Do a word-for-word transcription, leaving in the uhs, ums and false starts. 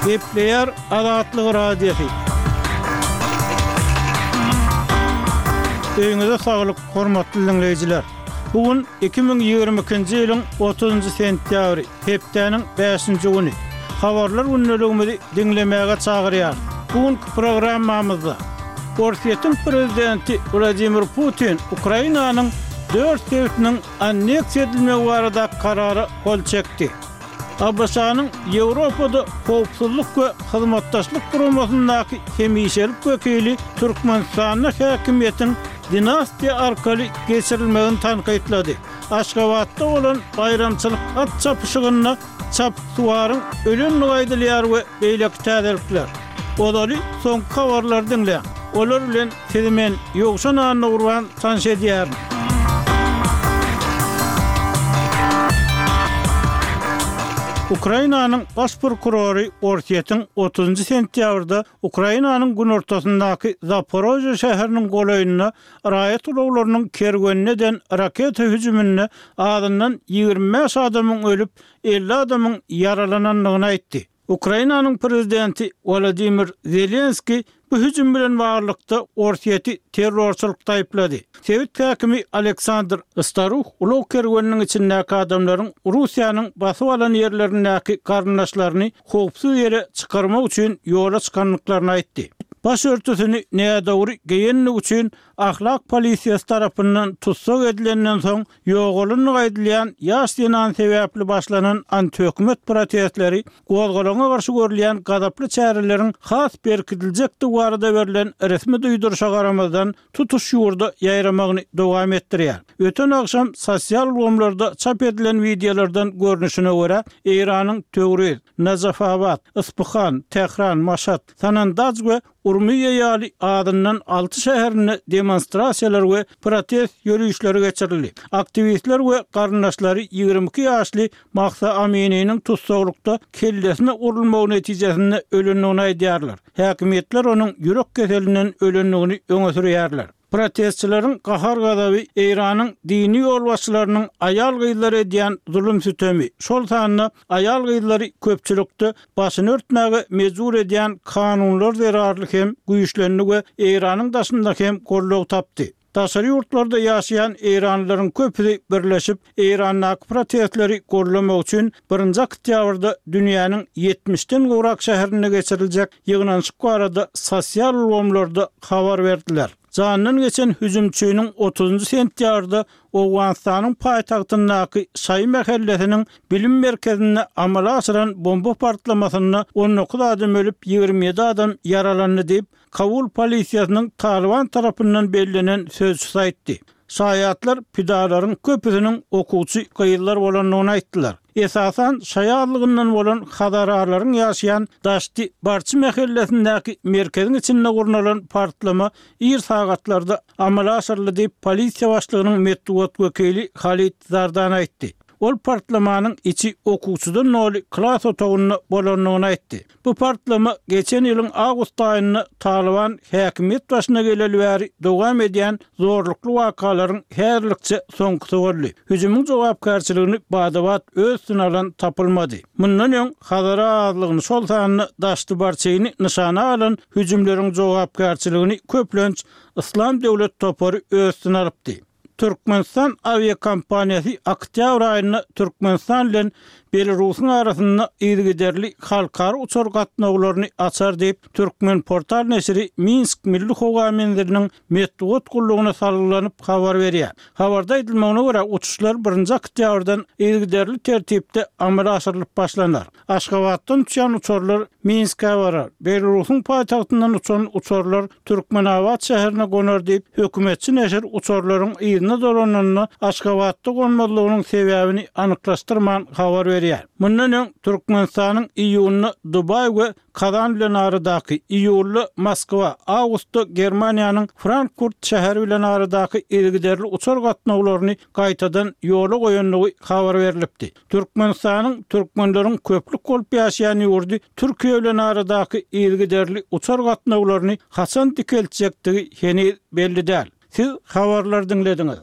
Gepleýär Azatlyk Radiosy. Öýüňize saglyk, hormatly diňleýjiler! Bu gün iki müň ýigrimi ikinji ýylyň otuzynjy sentýabry, hepdäniň bäşinji güni. Habarlar gündeligimizi diňlemäge çagyrýarys. Bu günki programmamyzda Orsýetiň prezidenti Wladimir Putin Ukrainanyň dört sebitiniň anneksiýa edilmegi baradaky karara gol çekdi. ABŞ-nyň Ýewropada Howpsuzlyk we Hyzmatdaşlyk Guramasyndaky hemişelik wekili Türkmenistanda häkimiýetiň dinastiýa arkaly geçirilmegini tankytlady. Aşgabatda bolan baýramçylyk at çapyşygynda çapyksuwaryň ölendigi aýdylýar we beýleki täzelikler. Ozaly soňky habarlary diňläň. Olar bilen sizi men, Ýowşan Annagurban tanyş edýärin. Ukrainanyň baş prokurory Orsýetiň otuzynjy sentýabrda Ukrainanyň günortasyndaky Zaporožýe şäheriniň golaýynda raýat ulaglarynyň kerwenine eden raketa hüjüminde azyndan ýigrimi bäş adamyň ölüp, elli adamyň ýaralanandygyny aýtdy. Ukrainanyň prezidenti Wolodymyr Zelenskiý bu hüjüm bilen baglylykda Orsýeti terrorçylykda aýyplady. Sebit häkimi Aleksandr Staruh ulag kerweniniň içindäki adamlaryň Russiýanyň basyp alan ýerlerindäki garyndaşlaryny howpsuz ýere çykarmak üçin ýola çykandyklaryny aýtdy. Baş örtüsini nädogry geýenligi üçin ahlak polisiýasy tarapyndan tussag edilenden soň ýogalandygy aýdylýan ýaş zenan sebäpli başlanan antihökümet protestleri gozgalaňa garşy görülýän gazaply çäreleriň has berkidiljekdigi barada berlen resmi duýduryşa garamazdan, tutuş ýurda ýaýramagyny dowam etdirýär. Öten agşam sosial ulgamlarda çap edilen wideolardan görnüşine görä, Eýranyň Töwriz, Najafabat, Yspyhan, Tähran, Maşat, Sanandaj we Urmiýa ýaly azyndan alty şäherinde demonstrasiýalar we protest ýörişleri geçirildi. Aktiwistler we garyndaşlary ýigrimi iki ýaşly Mahsa Amininiň tussaglykda kellesine urulmagy netijesinde ölendigini aýdýarlar. Häkimiýetler onuň ýürek keselinden ölendigini öňe sürýärler. Protestçileriň gahar-gazaby Eýranyň dini ýolbaşçylarynyň aýal-gyzlara edýän zulum-sütemi, şol sanda aýal-gyzlary köpçülikde başyny örtmäge mejbur edýän kanunlar zerarly hem güýçlendi we Eýranyň daşynda hem goldaw tapdy. Daşary ýurtlarda ýaşaýan eýranlylaryň köpüsi birleşip, Eýrandaky protestleri goldamak üçin birinji oktýabrda dünýäniň ýetmişden gowrak şäherinde geçiriljek ýygnanyşyk barada sosial ulgamlarda habar berdiler. Janyndan geçen hüjümçiniň otuzynjy sentýabrda Owganystanyň paýtagtyndaky Şaýy mähellesiniň bilim merkezinde amala aşyran bomba partlamasynda on dokuz adam ölüp, ýigrimi ýedi adam ýaralandy diýip, Kabul polisiýasynyň Talyban tarapyndan bellenen sözçüsi aýtdy. Şaýatlar pidalaryň köpüsiniň okuwçy gyzlar bolandygyny aýtdylar. Esasan, şaýy azlygyndan bolan hazaralaryň ýaşaýan Daşti Barçy mähellesindäki merkeziň içinde gurnalan partlama ir sagatlarda amala aşyryldy diýip, polisiýa başlygynyň metbugat wekili Halid Zardan aýtdy. Ol partlamanyň içi okuwçydan doly klas otagynda bolandygyny aýtdy. Bu partlama geçen ýylyň awgust aýynda Talyban häkimiýet başyna geleli bäri dowam edýän zorlukly wakalaryň häzirlikçe soňkusy boldy. Hüjümiň jogapkärçiligini bada-bat öz üstüne alan tapylmady. Mundan öň Hazara azlygyny, şol sanda Daşty-Barçyny nyşana alan hüjümleriň jogapkärçiligini köplenç Yslam döwlet topary öz üstüne alypdy. Türkmenistan awiakompaniýasy oktýabr aýynda Türkmenistan bilen Belarusyň arasynda yzygiderli halkara uçar gatnawlaryny açar diýip, Türkmenportal neşiri Minsk milli howa menziliniň metbugat gullugyna salgylanyp habar berýär. Habarda aýdylmagyna görä, uçuşlar birinji oktýabrdan yzygiderli tertipde amala aşyrylyp başlanar. Aşgabatdan uçýan uçarlar Minskä barar, Belarusyň paýtagtyndan uçan uçarlar Türkmenabat şäherine gonar diýip, hökümetçi neşir uçarlaryň yzyna dolananda Aşgabatda gonmazlygynyň sebäbini anyklaşdyrman habar berýär. Mundan öň, Türkmenistanyň iýunda Dubaý we Kazan bilen aradaky, iýulda Moskwa, awgustda Germaniýanyň Frankfurt şäheri bilen aradaky yzygiderli uçar gatnawlaryny gaýtadan ýola goýandygy habar berlipdi. Türkmenistanyň türkmenleriň köplük bolup ýaşaýan ýurdy Türkiýe bilen aradaky yzygiderli uçar gatnawlaryny haçan dikeltjekdigi heniz belli däl. Siz habarlary diňlediňiz.